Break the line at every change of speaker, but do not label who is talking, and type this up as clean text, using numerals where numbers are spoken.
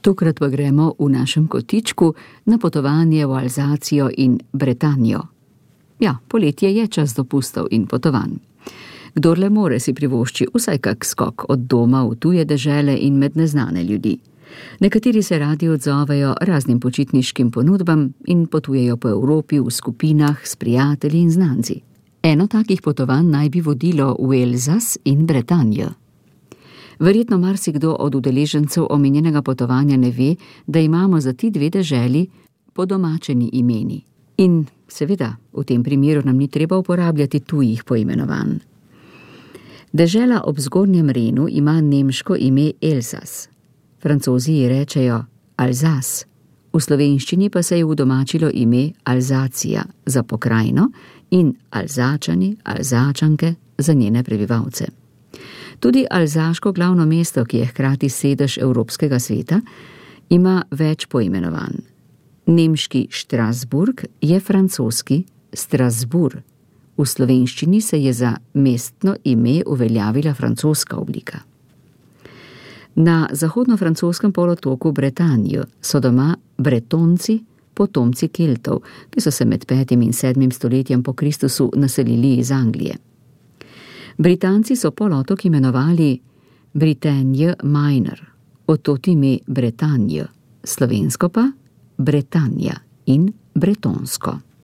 Tokrat pa gremo v našem kotičku na potovanje v Alzacijo in Bretanjo. Ja, poletje je čas dopustov in potovanj. Kdor le more, si privošči vsaj kak skok od doma v tuje dežele in med neznane ljudi. Nekateri se radi odzovejo raznim počitniškim ponudbam in potujejo po Evropi v skupinah s prijatelji in znanci. Eno takih potovanj naj bi vodilo v Elzas in Bretanjo. Verjetno marsikdo od udeležencev omenjenega potovanja ne ve, da imamo za ti dve deželi podomačeni imeni. In seveda, v tem primeru nam ni treba uporabljati tujih poimenovanj. Dežela ob Zgornjem Renu ima nemško ime Elzas. Francozi ji rečejo Alzas. V slovenščini pa se je udomačilo ime Alzacija za pokrajino in Alzačani, Alzačanke za njene prebivalce. Tudi alzaško glavno mesto, ki je hkrati sedež Evropskega sveta, ima več poimenovanj. Nemški Strasburg je francoski Strasbourg. V slovenščini se je za mestno ime uveljavila francoska oblika. Na zahodno-francoskem polotoku Bretanjo so doma Bretonci, potomci Keltov, ki so se med 5. in 7. stoletjem po Kristusu naselili iz Anglije. Britanci so polotok imenovali Bretagne Minor, od tod ime Bretanjo, slovensko pa Bretanja in bretonsko.